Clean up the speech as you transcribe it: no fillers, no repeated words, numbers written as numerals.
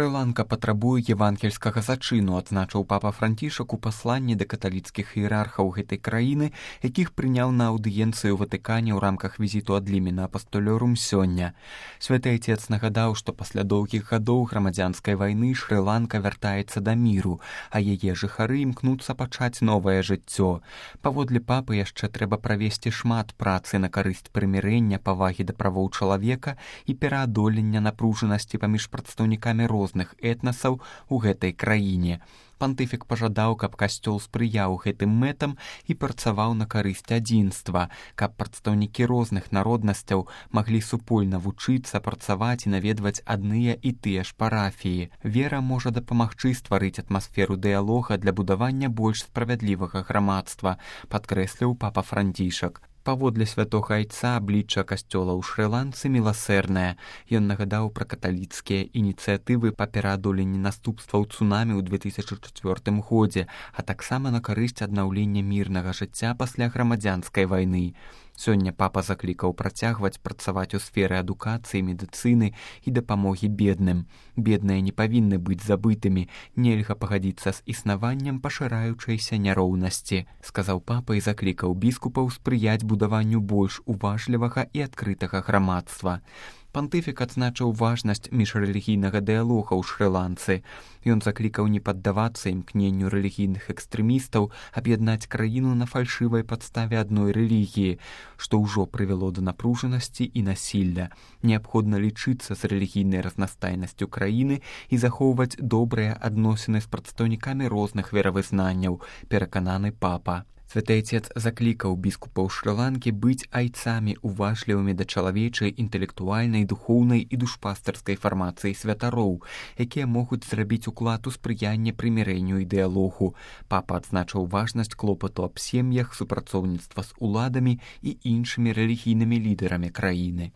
Шры-Ланка патрабуе евангельскага зачыну, адзначыў папа Францішак у пасланні да каталіцкіх іерархаў гэтай краіны, якіх прыняў на аўдыенцыю ў Ватыкане ў рамках візіту ад Лімена апастолёрум сёння. Святы Айцец нагадаў, што пасля доўгіх гадоў грамадзянскай вайны Шры-Ланка вяртаецца да міру, а яе жыхары імкнуцца пачаць новае жыццё. Паводле папы яшчэ трэба правесці шмат працы на карысць прымірэння, павагі да правоў чалавека і пераадолення напружанасці паміж прадстаўнікамі розных этнасаў у гэтай краіне. Пантыфік пажадаў, каб касцёл спрыяў гэтым мэтам і працаваў на карысць адзінства, каб прадстаўнікі розных народнасцяў маглі супольна вучыцца, працаваць і наведваць адныя і тыя ж парафіі. Вера можа дапамагчы стварыць атмасферу дыялога для будавання больш справядлівага грамадства, падкрэсліў папа Францішак. Паводле святога Айца аблічча касцёла ў Шры-Ланцы міласэрнае. Ён нагадаў пра каталіцкія ініцыятывы па пераадоленні наступстваў цунамі ў 2004 годзе, а таксама на карысць аднаўлення мірнага жыцця пасля грамадзянскай вайны. Сёння папа заклікаў працягваць працаваць у сферы адукацыі, медыцыны і дапамогі бедным. Бедныя не павінны быць забытымі, нельга пагадзіцца з існаваннем пашыраючайся няроўнасці, сказаў папа і заклікаў біскупаў спрыяць будаванню больш уважлівага і адкрытага грамадства. Пантыфік адзначыў важнасць міжрэлігійнага дыялога ў Шры-Ланцы. Ён заклікаў не паддавацца імкненню рэлігійных экстрэмістаў аб'яднаць краіну на фальшывай падставе адной рэлігіі, што ўжо прывяло да напружанасці і насілля. Неабходна лічыцца з рэлігійнай разнастайнасцю краіны і захоўваць добрыя адносіны з прадстаўнікамі розных веравызнанняў, перакананы папа. Святы Айцец заклікаў біскупаў Шры-Ланкі быць айцамі уважлівымі да чалавечай, інтэлектуальнай, духоўнай і душпастарскай фармацыі святароў, якія могуць зрабіць уклад у спрыянне прымірэнню і дыялогу. Папа адзначыў важнасць клопату аб сем'ях, супрацоўніцтва з уладамі і іншымі рэлігійнымі лідарамі краіны.